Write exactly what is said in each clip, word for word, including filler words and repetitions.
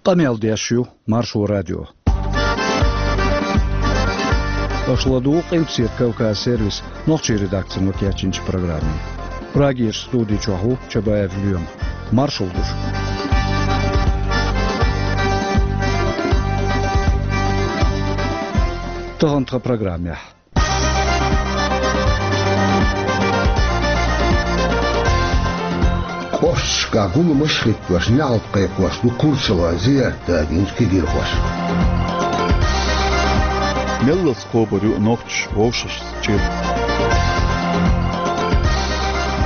Къамел деш ю Маршо радио. Аша ладугӀу Къилбаседа Кавказ сервисан нохчийн редакцино кечйинчу программе. Прагерчу студи чохь ву Чабаев Лоьма. Маршалла ду шуьга. Тахана тхан программехь. Кошкашкахь гуламаш а хӀиттош, неӀалт кхайкхош ду Курчалойн зиярт дагийнчу кегирхоша. Меллаца кхобур ю нохчаша вовшашца чӀир.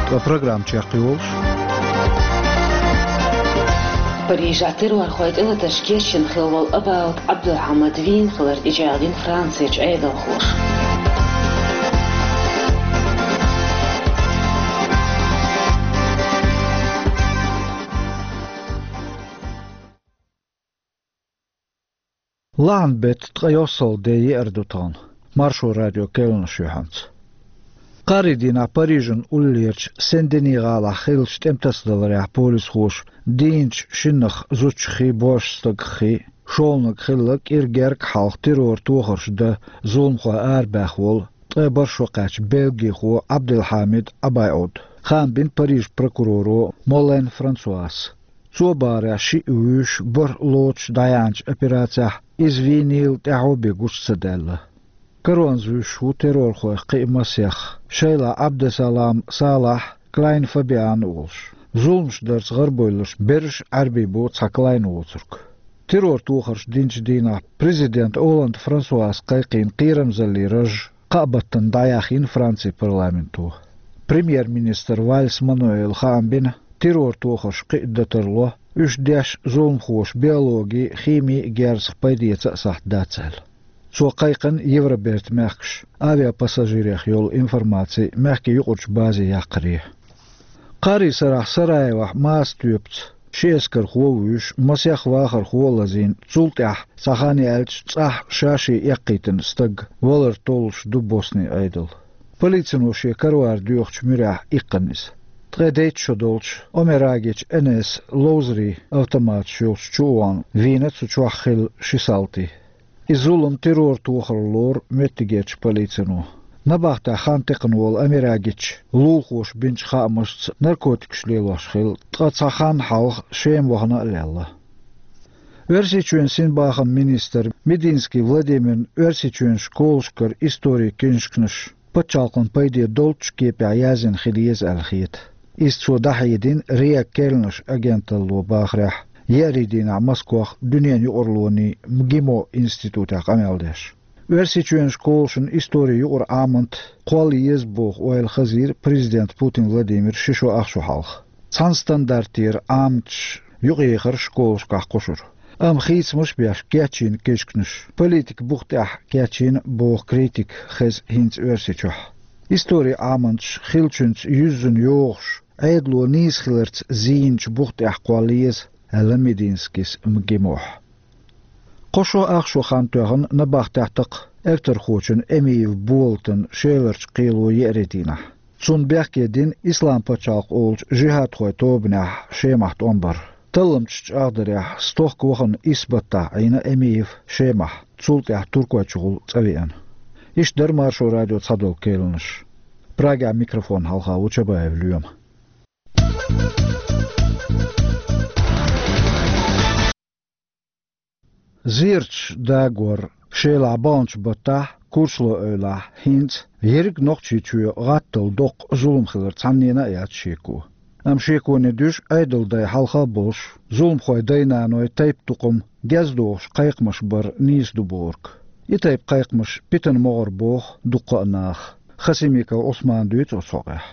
Ткъа программа чекхйолуш. Парижехь террорхойн тӀелатарш кечйина хилла волу Абаут Ӏабдулхьамад вийна хилар тӀечӀагӀдина Францерчу Ӏедалхоша. Лахьан беттан ткъе йоьссалгӀа де, еара ду тахана. Маршо радион керланаш юьхьанца. Кхаарин дийнахь Парижан уллерчу Сен-Дени гӀалахь хиллачу тӀематасадаларехь полисхоша дийначу шиннах, зудчух а, боьрша стагах а шолгӀаниг хилла кӀира гергга хьалха террор тохарш дан зуламхой арабаьхна волу ткъе бархӀ шо кхаьчна бельгихо Ӏабдулхьамид Ӏабайод, хаам бина Парижан прокуроро Молен Франсуас. Цо бахарехь, шиъ вуьйш бархӀ лоцуш дӀаяьхьначу операцехь иза вийнийла, тӀаьхьо бен гучу ца даьлла. Каронца вуьйш ву террорхойх кхин а масех: Шайла, Ӏабдусалам, Салахь, Клайн Фабиан а олуш. Зуламаш дарца гӀарабевлларш берриш а Ӏаьрбий бу, цхьа Клайн воцург. Террор тохарш динчу дийнахь президента Олланд Франсуас кхайкхийна кхерамзаллин раж кхаа баттана дӀаяьхйина Францин парламенто. Премьер-министра Вальс Мануэла хаам бина, террор тохарш кхин а дан тарло, уьш деш зуламхоша биологин, химин герзах пайдеца а сахьт дац аьлла. Цо кхайкхина Евробертан мехкаш авиапассажирех йолу информаци мехкийн юкъарчу базе яккхаре. Кхаарин сарахь Сараевохь маса тоьпаца ши эскархо а вуьйш, масех вахархо а лазийна, цул тӀаьхьа, цхьа хан яьлча, цӀахь ша-шен эккхийтина стаг валар толлуш ду Боснин Ӏедал. Полицино шен каравар доьхучу муьрехь иккхина иза. Ткъе дейтта шо долчу Омерагичу Н С ловзарийн автоматаш йолчу чу а вахана, вийна цу чохь хилла ши салти. И зулам террор тохар лору меттигерчу полицино. Набахтехь хан текхна волу Омерагичу лулахоша бинчу хаамашца, наркотикаш лелош хилла, ткъа цхьа хан хьалха Шема вахана а лелла. Оьрсийчоьнан синбахаман министра Мединский Владимирна Оьрсийчоьнан школашкара историн книжкаш пачхьалкхан пайде долчу кепехь язйина хила еза аьлла хета. Иза цо дӀахьедина РИА керланаш агенталло бахарехь, еарин дийнахь Москвахь дуьненан юкъараллин МГИМО институтехь къамел деш. Оьрсийчоьнан школашна историн юкъара Ӏамат кхолла еза боху ойла хазийра президента Путин Владимира ши шо ах шо хьалха. Цхьана стандартера Ӏаматаш юкъаяхара школашкахь кхушара. Амма хийцамаш а беш кечйина книжкаш политикан бух тӀехь кечйина боху критика хеза хӀинца Оьрсийчохь. Историн Ӏаматаш хиллачуьнца юьззина йогӀуш, Ӏедало нийса хиларца зийначу бух тӀехь кхолла еза, аьлла Мединскийс МГИМОхь. Кхо шо ах шо хан тоьхна набахтехь тӀаккха эвтархочун Эмиев Болатан Шеларчу кхело еарин дийнахь. Цунна бехке дина Ислам-пачхьалкх олучу жихӀадхойн тобанехь Шемахь тӀом бар. Талламчаша чӀагӀдарехь, стохка вахана исс баттахь Ӏийна Эмиев Шемахь, цул тӀаьхьа Туркойчухула цӀа веана. Иштта дара Маршо радион цхьадолу керланаш. Прагехь микрофон хьалха ву Чабаев Лоьма. Зерачу дагор Шелахь баханчу баттахь, Курчалойн эвлахь, хӀинца ерриг Нохчийчоь гӀаттал доккха зулам хилар цхьаннена а яц шеко. Амма шеконе дуьжу Ӏедалан дай хьалха а болуш, зуламхойн дай-наной тайп-тукхам гездохуш кхайкхамаш бар нийса ду бохург. И тайпа кхайкхамаш питана могӀара боху дуккха а наха. Хасимиков Ӏусмана дуьйцу оцу хьокъехь.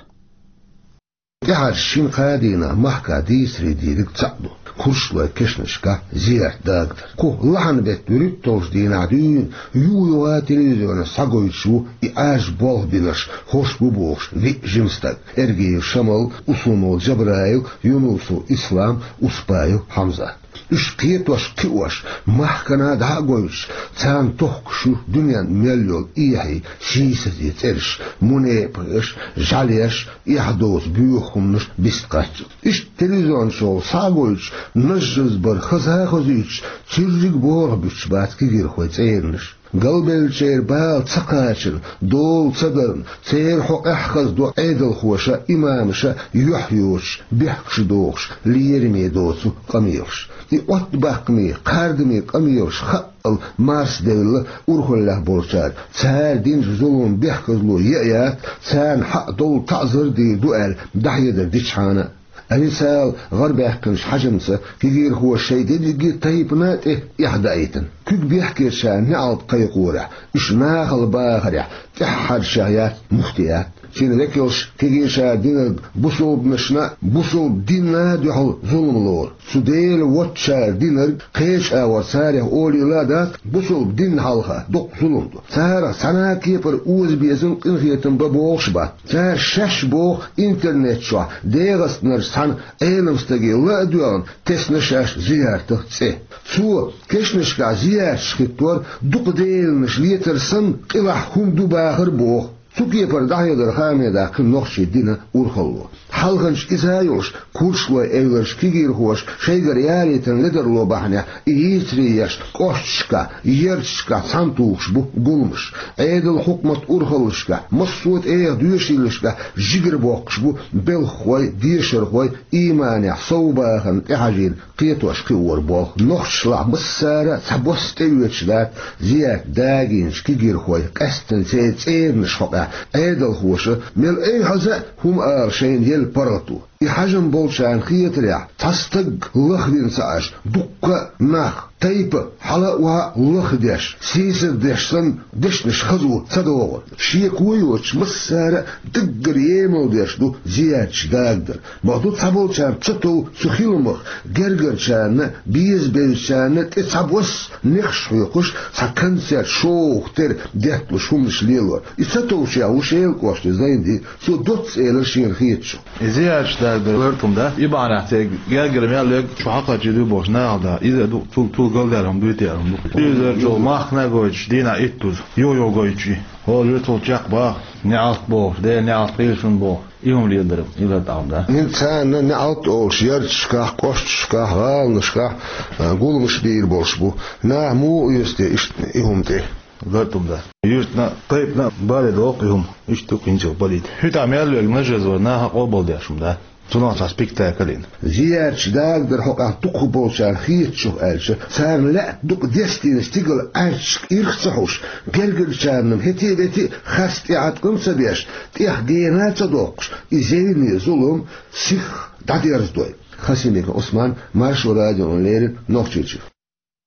ТӀаьхьарчу шина-кхаа дийнахь махкахь дийцаре дийриг цхьаъ ду: Курчалойн кешнашкахь зиярт дагадар. Кху лахьан беттан вуьрхӀитталгӀачу дийнахь дуьйна юха-юха телевизионехь схьагойтуш ву и Ӏаьржа болх бинарш, хӀорш бу бохуш виъ жима стаг: Эргиев Шамал, Усунов Джабраил, Юнусов Ислам, Успаев Хьамзат. Уьш кхетош, кхиош, махкана дӀа а гойтуш, царна тохкаш ю дуьненна мел йолу эхьий, сийсазе цӀераш, мунепакъаш, жӀаьлеш, эхь доцу боьха хӀуманаш бистхаччалц. Иштта телевизиончу схьа а гойтуш, нажжазбар хаза а хазуьйтуш, цуьрриг а боху буьтуш бац кегийрхойн цӀеранаш. Галбевллачеран бала ца кхачарна, дола ца дарна, церан хьокъехь хазадо Ӏедалхоша, имамаша юьхь йоцуш, бехкаш дохуш, лераме доцу къамелаш. И Ӏоттабаккхаме, кхардаме къамелаш хаъал марсадевлла урхаллехь болчара, цара динчу зуламан бехказло яа яц, царна хьакъ долу таӀзар дийр ду аьлла, дӀахьедар дичхьана а. Мисал, гӀарабаьккхинчу хьаьжамца кегийрхоша шайн дерриге а тайпана тӀе эхь даийтина. Куьг бехкечарна неӀалт кхайкхорехь, уьш нахала бахарехь, тӀаьххьарчех яц муфтият. Цуьнан векалша кегийрхошна динарг бусалбанашна а, бусалба динна а дуьхьал зулам лору. Цу Дела воцчара динарг кхечу агӀор царех олийла а дац, бусалба динна хьалха доккха зулам ду. Царах цхьана а кепара озабезам, къинхетам бан бохуш а бац. Цара шаьш боху интернет чохь ДегӀастанарчу цхьана Ӏеламстаге ла а доьгӀна, тесна шаьш зияртах цӀе. Цо кешнашкахь зиярташ хӀиттор дукха деланаш лецар санна, къилахь хӀума ду бахар боху. Цу кепара дӀахьедар хаамдан даьккхина нохчийн динан урхалло. Хьалханчу иза а йолуш, курчалойн эвларчу кегийрхоша шайгара ялийтина ледарло бахьанехь, и йийцаре еш, кӀошташкахь, ярташкахь цхьаьна тухуш бу гуламаш. Ӏедалан хьукматан урхаллашкахь, массо а тӀегӀан доьшийлашкахь жигара боккхуш бу белхахой, дешархой, ийманехь совбахарна тӀехьажийна кхетош-кхиор болу. Нохчашлахь массара а цхьабосса тӀеоьцуш дац зиярт дагийначу кегийрхойн, къаьсттина церан цӀеранаш хьокъехь Ӏедалхоша, мел эвхьаза а, хӀума ала шайна елла паргӀато. И хьаьжам болчарна хетарехь, цхьа стаг лахвина ца Ӏаш, дуккха а нах, тайпа хьала а, охьа а лахдеш, сийсаздеш санна, дешнаш хазо ца догӀу. Шеко йоцуш массара а даггара емал деш ду зиярташ дагадар. Ма ду цхьаболчарна ца тов цу хиламах, гергарчарна, беза-безачарна тӀе цхьабосса нехаш хьоькхуш, цхьа концерт, шоу тера детталуш хӀуманаш лелор. И ца товчех ву Шелан кӀоштан Зайнди, цо доцца элира шена хетачух. И зиярташ дагадар лартам да, и бахьанехь церан гергара мел лерг чу хьакхачийр ду бохуш нахала да. Иза а ду, цул, цул галдаьрра хӀума дуьйцур хӀума ду. Телевизор чу махкана а гойтуш, дийнахь итт дуза, йо-йо гойтуш и. ХӀора юьрталгӀачу чекхбаха, неӀалт бохуш, Делан неӀалт кхийсун боху, и хӀума леладар, и лартам да. ХӀинца царна неӀалт олуш ярташкахь, кӀошташкахь, гӀаланашкахь, а, гуламаш дийр болуш бу. Наха муха оьцу те иштта и хӀума тӀе? Лартам да. Юьртана а, тайпана а бале доккху и хӀума, иштта ду кхин чуьра балийта. ХӀуьтахь мел верг нажжаза вар наха а къобалдеш хӀума да. Цунах цхьа спектакль йина. Зиярташ дагадар хьокъехь дукхах болчарна хетачух аьлча, царна лаьтта дукха дестийна стигала Ӏаьрташка ирх ца хьуш, гергарчарна-м хӀетте а, ветте а харц тӀеӀаткъам ца беш, тӀех гена а ца доккхуш, и зевне зулам сихха дӀадерзадойла. Хасимиков Ӏусман, Маршо радиона леррина, Нохчийчуьра.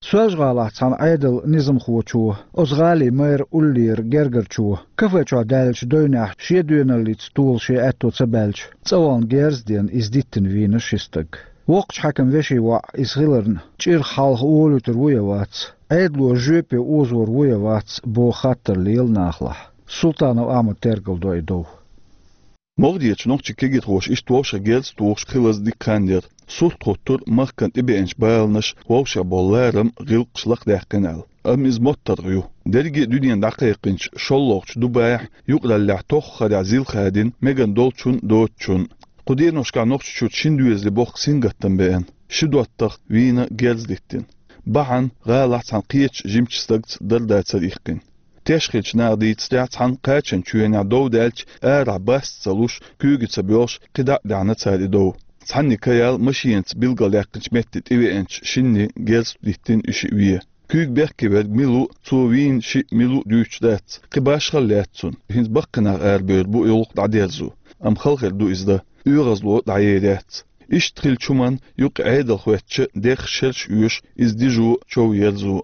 Соьлжа-ГӀалахь цхьана Ӏедалан низамхочо, оцу гӀалин мэр уллера гергарчо, кафе чохь даьллачу девнехь шен доьналлица тола шен аьтто ца баьлча, цӀа вахана герз а дена, иза диттина вийна ши стаг. Воккхачу хьаькаман вешин воӀ иза хиларна, чӀирх хьалха олуьйтур ву я вац, Ӏедало жоьпе озор ву я вац боху хаттар лела нахалахь. Султанов Ахьмада тергалдо и дов. Могадечу нохчийн кегийрхоша иштта вовшех герз а тухуш хилаза дика хан яра. Сурт хӀуттура махкана тӀебеанчу баланаш, вовшех болу ларам, гӀиллакхаш лакхадаьккхина аьлла. Амма иза моттаргӀа ю. Дерриге а дуьненна дӀакхайкхинчу шолгӀачу Дубайхь юкъараллехь тоххарехь зил хадийна мегар долчун а, доцучун а. Кху деношкахь Нохчийчуьра шина доьзале боккха сингаттам беана. Ши доттагӀа вийна, герз диттина. Бахьана гӀалахь цхьана кхечу жимачу стагца дара-дацара иккхина. Теш хиллачу наха дийцарехь, цхьана кхачанчу чоьнехь дов даьлча, арахь баста ца луш, куьйга ца боьлхуш, кхидӀа а даьхьна цара и дов. Цхьанне каял машенаца билгалдаьккхинчу метте тӀевеанчу шинне герз диттина и шиъ вен. Куьйга бехке верг мила ву, цо вийна шиъ мила ву дуьйцуш дац, кхин башхалла лаьтта цунна. ХӀинца баккхий нах арабевр бу и гӀуллакх дӀадерзо. Амма хала хир ду иза дан, оьгӀазло дӀаер яц. Иштта хиллачу хӀуманна юкъа Ӏедал хӀоьттича, дехаш шераш оьшу, иза дижо, чов ерзо.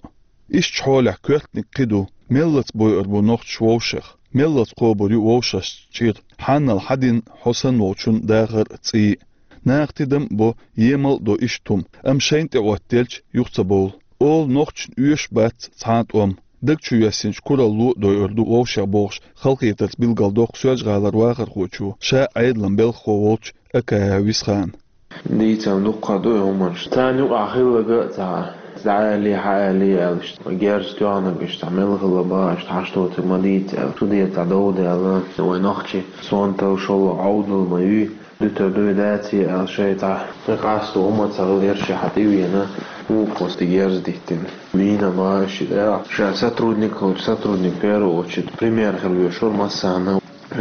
Ишттачу хьолехь коьртаниг кхин ду: меллаца бойур бу нохчаш вовшех, меллаца кхобур ю вовшашца чӀир. Хьанал хьан дин хьо санна волчун дахар а, цӀий а. Наха тидам а бо, емал а до иштта хӀума, амма шайна тӀеӀоттаделча, юха ца бовлу. Олу нохчашна оьшуш бац цхьа а тӀом. Даг чу йоьссинчу куралло а дойур ду вовшех бохуш, халахетарца билгалдоккху Соьлжа-ГӀалара вахархочо, ша Ӏедалан белхахо волчу Акаев Висхана. Дийцам дуккха ду хӀуманаш. Царна юкъахь хилларг а ца хаьа. ДӀаалий, хьаалий аьлла, иштта герз тоьхнарг иштта мел хилла бан, иштта хьашт доцург ма дийца аьлла, судье цхьа дов даьлла, вай нохчий сонтал шолгӀа Ӏовдал ма юй, дуьтур дуй, даций аьлла, шайца къасто хӀума ца хилла, ерш хьа тӀевеана, вукхо стаг герз диттина. Вийна бан ши тӀе, ша сотрудник хилча, сотрудник первую очередь пример хила везаш вара массарна.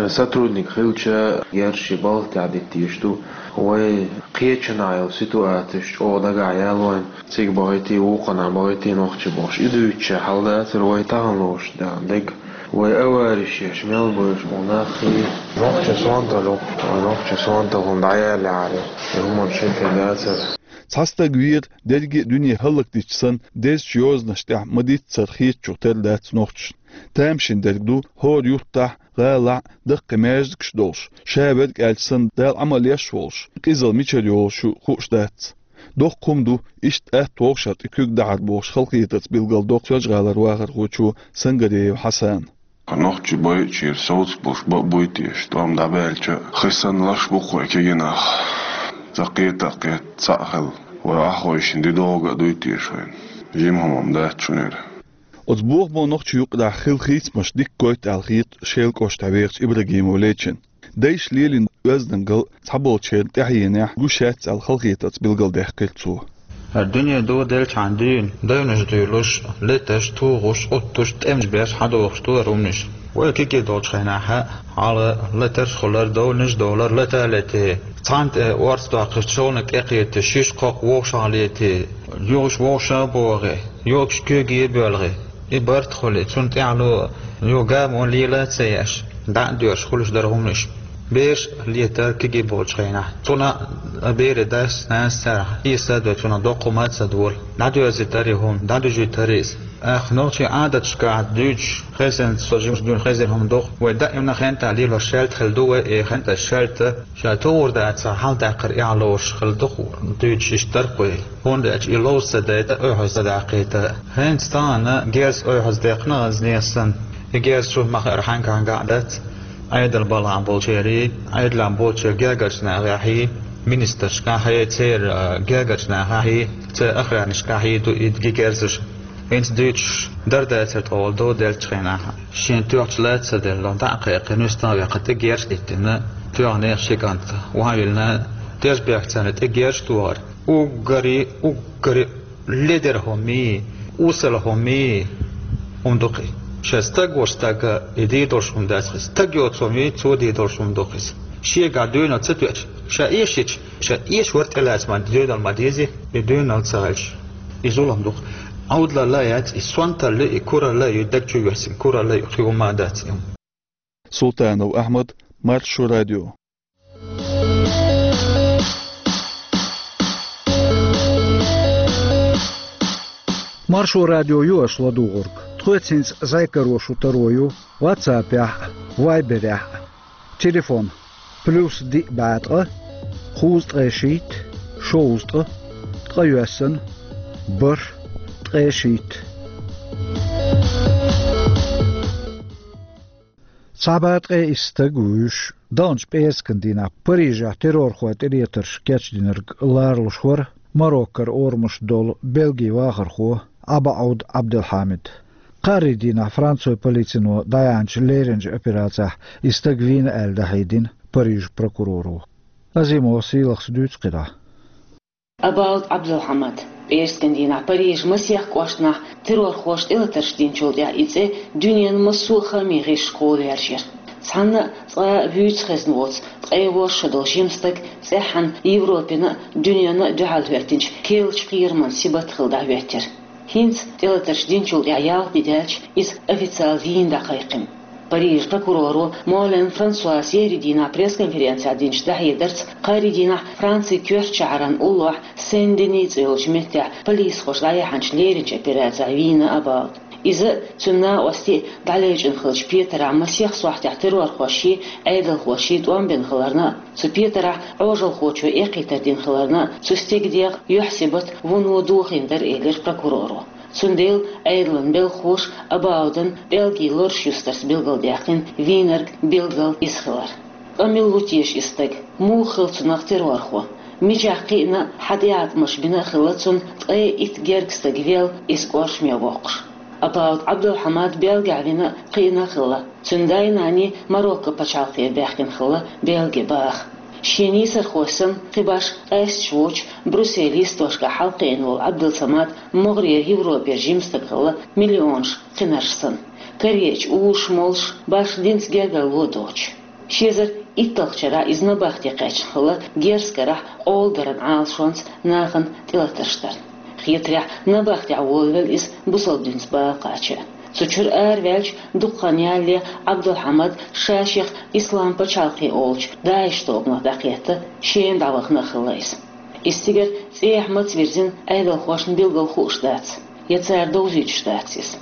Сотрудник хилча, герз ши балха тӀехь диттийш ду. Вай кхечанхьа йолу ситуацеш чӀогӀа дагахь яьлла вайн, цига бахийтий, вукханхьа бахийтий нохчий бохуш. И дуьйцуча хьал дацара вай тахана лоруш дерг. Вай авариш еш мел бевзаш болу нах хи. Нохча сонталух, вай нохча сонталун дӀаяллехьара, и хӀуманаш хӀетте дацара. Цхьа стаг вийра, дерриге а дуьне хӀаллакдича санна, дезачу йозанаш тӀехь ма-дийццара хетачух тера дац нохчашна. Тамашийна дерг ду, хӀора юттахь, гӀалахь, даккхий маьждигаш долуш, ша верг аьлча санна, Дала Ӏамал еш волуш, къизалла мичара йолуш ю хууш дац. Доккха хӀума ду, иштта атта вовшах тӀе куьг дахьар бохуш, халахетарца билгалдоккху Соьлжа-ГӀалара вахархочо Сангареев Хьасана. Нохчий байъачеран совцуш болуш бан а буй теша, тӀом дӀабаьлча а, хи санна лаш бу-кх вай кегий нах. Цкъа кхета а кхетта, цхьаъ хилла, вай охьахойшина де догӀу а дуй теша вайна. Жима хӀума-м дац шуна хӀара. Оцу бохамо нохчийн юкъарахь хилла хийцамаш дика гойту аьлла хета Шелан кӀоштахь вехачу Ибрагимов Лечина. Дайша лелийна оьздангалла цхьаболчеран тӀаьхьенехь гуш яц аьлла, халахетарца билгалдаьккхира цо. ХӀара дуьне доделчхьана дуьйна, девнаш дуьйлуш, леташ, тухуш, уттуш, тӀемаш беш, хьадогӀуш ду хӀара хӀуманаш. Вай кегий долчу хенахь а, хьала летарш а хуьлура, девнаш а долура, лета а летий. Цхьанна тӀе орца доккхуш, шолгӀаниг тӀекхетий, шиша кхоккху вовшах летий, юхаш вовшах а богӀий, йогуш куьйге а боьлхий. И барт хуьлий, цунна тӀаьхьало юха гамо лела а ца еш, дӀа а доьрзуш хуьлуш дара хӀуманаш. Бераш а летара кегий болчу хенахь. Цунна а берийн дас, нанас царах эса а дой, цунах доккха хӀума а ца долу. ДӀадоьзийтара и хӀума, дӀадуьжийтара иза. Ах, нохчийн Ӏадаташкахь дуьйцуш, хезна, со жимачу дуьйна хезна хӀума ду-кх, вай даимна хентахь лелош шаьлта хилла ду вай, и хентан шаьлта ша товр дацахь, хьаладаккхар эхь лоруш хилла ду-кх, дуьйцуш иштта дара-кх вай. ХӀунда аьлча и ловза ца дайта, ойхьаз ца даккхийта. ХӀинца тахана герз ойхьаз даьккхина, хӀинца нехан санна. И герз чу ма-хаара хьаьнга-хьаьнга а дац. Ӏедал балхахь болчерий, Ӏедалехь болчеран гергарчу нахехьий, министрашкахьий, церан, а, гергарчу нахехьий, церан охранникашкахьий ду и герзаш. ХӀинца дуьйцуш дара дацара тхо вала доделлачу хенахь. Шена тоьхча лаьцна ца делла, дӀа а кхайкхина, нуьста а ваьккхина, тӀе герз диттина, тоьхна ши кӀант, охьавиллина, тешнабехк царна тӀе герз тохар. Уггаре, уггаре ледара хӀумий, осала хӀумий хӀума ду-кх и. Шен стаг волчу стага и дийр долуш хӀума дац-кх иза. Стаг йоцу хӀумий, цо дийр долуш хӀума ду-кх иза. Шегахь дуьйна ца тоьуш, ша эшича, ша эша вара тӀелаца ма дуьйналла ма дезий, и дуьйналла ца хилча, и зулам ду-кх. Ӏовдалалла а яц, и сонталла ю, и куралла а ю, даг чу йоьссина куралла а ю, кхин хӀума а дац и хӀума. Султанов Ахьмад, Маршо радио. Маршо радио ю аша ладугӀург. Тхоьца хӀинца зӀе каро шун таро ю WhatsApp-ехь а, Viber-ехь а. Телефон: плюс диъ бӀе ткъа, кхузткъе шийтта, шовзткъа, ткъе йоьссана, бархӀ, ткъе шийтта. Цхьа бӀе ткъе исс стаг вуьйш, даханчу пӀераскан дийнахь Парижехь террорхойн тӀелетарш кечдинарг ларалуш вара Мароккара орамаш долу Бельгин вахархо ӀабаӀуд Ӏабдулхьамид. Кхаарин дийнахь францойн полицино дӀаяьхьначу леринчу операцехь и стаг вийна аьлла, дӀахьедина Парижан прокуроро. Азимова Сийлахас дуьйцу кхидӀа. ӀабаӀуд Ӏабдулхьамид. ПӀераскан дийнахь Парижан масех кӀоштанахь террорхоша тӀелатарш динчул тӀаьхьа и цӀе дуьненан массо а хаамийн гӀирсашкахула ваьржира. Цхьанна а цкъа а вуьйцу хезна воцу ткъе ворхӀ шо долу жима стаг цӀеххьана Европина а, дуьненна а дуьхьал хӀоьттинчу керлачу кхераман сибат хилла дӀахӀоьттира. ХӀинца тӀелатарш динчул тӀаьхьа ялх де даьлча, иза официал вийна дӀакхайкхина. Парижан прокуроро Молен Франсуас еарин дийнахь пресс-конференцехь динчу дӀахьедарца, кхаарин дийнахь Францин коьртачу шахьаран уллохь Сен-Дени цӀе йолчу меттехь полисхоша дӀаяьхьначу леринчу операцехь вийна ӀабаӀуд. Иза а, цуьнан накъостий а дӀалечкъина хиллачу петарахь масех сохьтехь террорхошший, Ӏедалхошший тӀом бина хиларна а, цу петарахь Ӏожалхочо эккхийтар дина хиларна а, цу стеган дегӀ, юьхь-сибат вуно дохийна дара, элира прокуроро. Цундела Ӏедалан белхахоша ӀабаӀудан пӀелгийн лоруш юстарца билгалдаьккхина вийнарг билггал иза хилар. Ткъа мила ву теша и стаг? Муха хилла цунах террорхо? Мичахь кхиъна а, хьан тӀеӀаткъамаш бина а хилла цунна ткъе итт герга стаг велла, иза кӀоршаме воккхуш. Абаут Ӏабдулхьамад Бельгехь вина а, кхиъна а хилла. Цуьнан дай-наний Марокко пачхьалкхера баьхкина хилла Бельге баха. Шен нийсархой санна, кхин башха къаьсташ воцуш, Брюсселе йистошкахь хьалакхиъна волу Ӏабдулсамад могӀарера Европера жима стаг хилла, миллионаш кхинарш санна, караеъча узуш, молуш, башха динца гергарло доцуш. Ши эзар итталгӀачу шарахь иза набахте кхаьчна хилла Герзкарахь къола даран Ӏалашонца нахана тӀелатарш дарна. Хетарехь, набахтехь волавелла иза бусалба динца бала кхача. Цу чуьра араваьлча дукха хан ялале Ӏабдулхьамад ша-шех Ислам пачхьалкхе олучу ДАИШ тобанах дӀакхетта, Шема дӀавахана а хилла иза. Иза цигара цӀехьа маца вирзина Ӏедалхошна билггал хууш дац, я цара довзуьйтуш дац иза.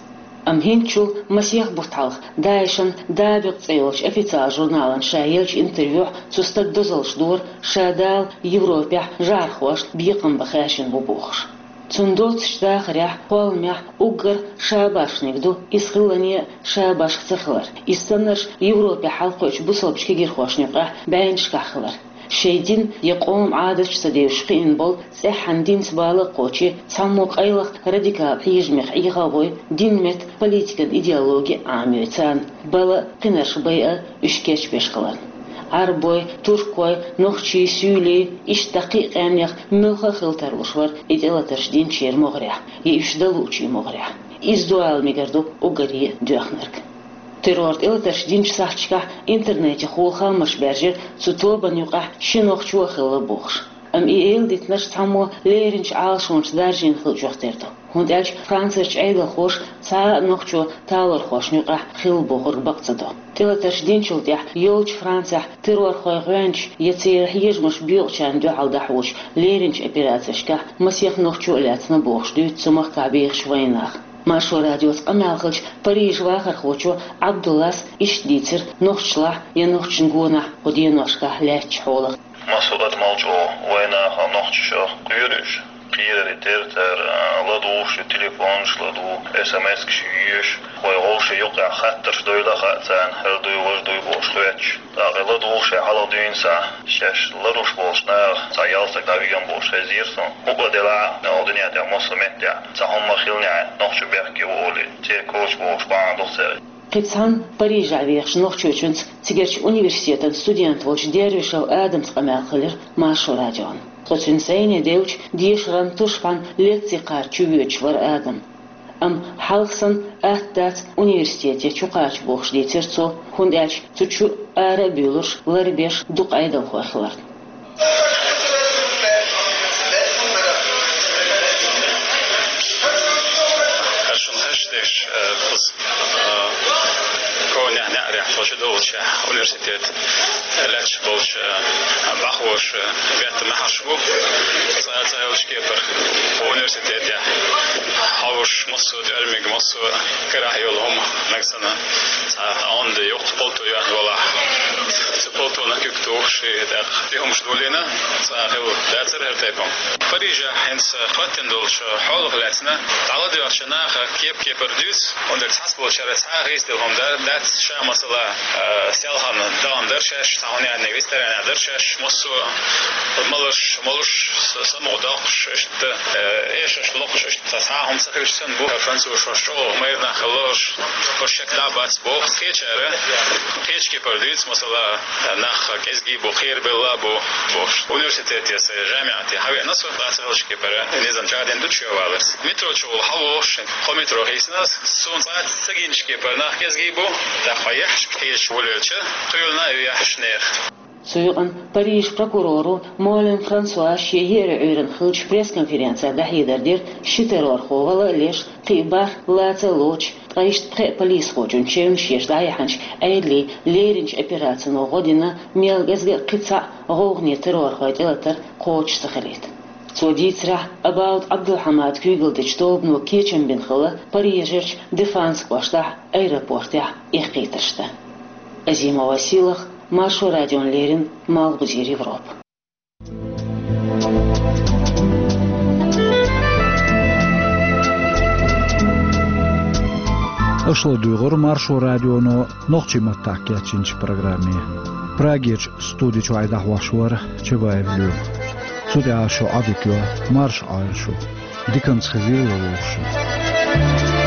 Амма хӀинцачул масех бутт хьалха ДАИШан «Дабикъ» цӀе йолчу официалан журнална ша еллачу интервьюхь цу стага дозаллаш дора ша Дала Европехь жӀархошна бекхам бан хаьржина бу бохуш. Цунна доцучу дахарехь, кхолламехь уггар ша башханиг ду иза хиллане а ша башха ца хилар. Иза саннарш Европехь хьалакхуьучу бусалбачу кегирхошна юкъахь бӀеннашкахь хилар. Шайн дин я къоман Ӏадаташ ца девзаш кхиъна болу, цӀеххьана динца бала а кхочий, цхьаммо къайлаха радикал хьежамех Ӏеха а вой, динан метта политикан идеологи а Ӏамайой царна, бала а, кхинарш байа а уьш кечбеш хиларна. Ӏарбой, туркой, нохчий, суьйлий, иштта кхин а къаьмнех муьлхха а хила тарлуш вара и тӀелатарш динчеран могӀарехь, я уьш дан луучийн могӀарехь. Иза ду ала мегар ду уггаре а доьхнарг. Террор тӀелатарш динчу сахьташкахь интернетехула хаамаш баьржира цу тобанна юкъахь ши нохчо а хилла бохуш. Амма и эладитанарш цхьаммо леринчу Ӏалашонца даржийна хиллачух тера ду. ХӀунда аьлча Францерчу Ӏедалхоша цхьа а нохчо талорхошна юкъахь хилла бохург бакъ ца до. ТӀелатарш динчул тӀаьхьа йолчу Францехь террорхой гӀоьнча я церан хьежамаш боькъучарна дуьхьал дӀахьочу леринчу операцешкахь масех нохчо а лаьцна бохуш дуьйцу цу махкахь бехачу вайнаха. Маршо радиоца къамел хиллачу Парижан вахархочо Ӏабдуллас иштта дийцира нохчашлахь я нохчашна гонахь кху деношкахь лаьттачу хьолах. Массо а адамал чӀогӀа вайнаха нохчаша кхоьруш, кхерар тера цара, ладугӀуш ю, телефонаш ладугӀу, эс эм эс-каш йоьшу, вай вовшийн юкъахь хаттарш дойла а хаьа царна, хӀара дуй, важа дуй бохуш хоьттуш. ТӀаккха ладугӀуш хьалха дуьйна схьа, шаьш ларуш болчу наха цхьа ялсаг дӀавигна бохуш хезира суна. ХӀуъа делахь а, оха дуьнен тӀехь массо а меттехь, цхьа хӀумма хилнехь, нохчо бехке ву олий, церан коча бохуш бахьана ду церан. Кхин цхьана Парижехь вехачу нохчочуьнца цигарчу университетан студент волчу Дервишев Адамца къамел хилира Маршо радион. Тхо цуьнца зӀене девлча, дешаран тушбан лекци кхача чувоьдуш вара Адам. Амма хьалха санна атта дац университете чукхача бохуш дийцира цо, хӀунда аьлча цу чу ара а буьйлуш, ларбеш дукха Ӏедалхой хиларна. Шуна хезаш дерш, э, кхуза, э, ковнех неӀарехь тхо чу доллучехь университет лаьтташ болчу, э, бӀаьхоша, э, бетта маьхьарш бу. Цкъа а ца хилча кепара университетехь хьовсуш, массо а тӀоьрмиг, массо а карахь йолу хӀума нагахь санна, цхьа тӀаьхьа юккъе палто йоьхна валахь, цу палтонах куьг тухуш, и тӀаккха тӀе хӀумаш долийна, цхьа хила дацара хӀара тайпа. Парижехь хӀинца хӀоттина долчу хьолах лаьцна дӀаладоьгӀча наха кеп-кепара дуьйцу, хӀунда аьлча цхьаболчара цхьа а гӀийсадала хӀума дац, ша, масала, а, селхана дахана дара шаьш, цхьа хӀума яьнниг ресторанехь дара шаьш, массо а маларш, молуш, са-, самукъадоккхуш, иштта, э, эшарш локхуш, иштта цхьа а хӀума ца хилча санна бу. Французаш хӀорш чӀогӀа майра нах хилла, хӀорш, хӀорш шек дӀа а бац боху. Кхечара кхечу кепара дуьйцу, масала, нах кӀезгий бу, кхерабелла а бу бохуш. Университете, сан жамиӀате хьавеана со, дӀа ца хилча кепара низам чӀагӀдина ду чоь валарца. Метро чухула хьалавохуш, кхо метро хийцина ас, суна цкъа а ца гинчу кепара нах кӀезгий бу, тӀаккха хьан яхьаш кхеча волавелча, кхоьлина а ю яхьаш нехан. Цу юкъана Парижан прокуроро Молен Франсуа шен еарин Ӏуьйранна хиллачу пресс-конференцехь дӀахьедар дира, ши террорхо вала а леш, кхин а бархӀ лаца а лоцуш, ткъа иштта пхеа полисхочун чевнаш еш дӀаяьхьначу Ӏедалийн леринчу операцино гӀо дина, мел кӀезга а кхин цхьаъ гӀовгӀане террорхойн тӀелатар кхочуш ца хилийта. Цо дийцарехь, Абаут Ӏабдулхьамада куьйгалла дечу тобано кечам бина хилла Парижерчу Дефанс кӀоштахь, аэропортехь эккхийтарш дан. Азимова Силах, Маршо радиона леррина, Малхбузера Европа. Аша ладуьйгӀура Маршо радионо нохчийн маттахь кечйинчу программе. Прагерчу студи чуьра дӀахьош вара Чабаев Лоьма. Шу тӀехьа шу Ӏадика йо, марша Ӏойла шу. Диканца хезийла вовшашта.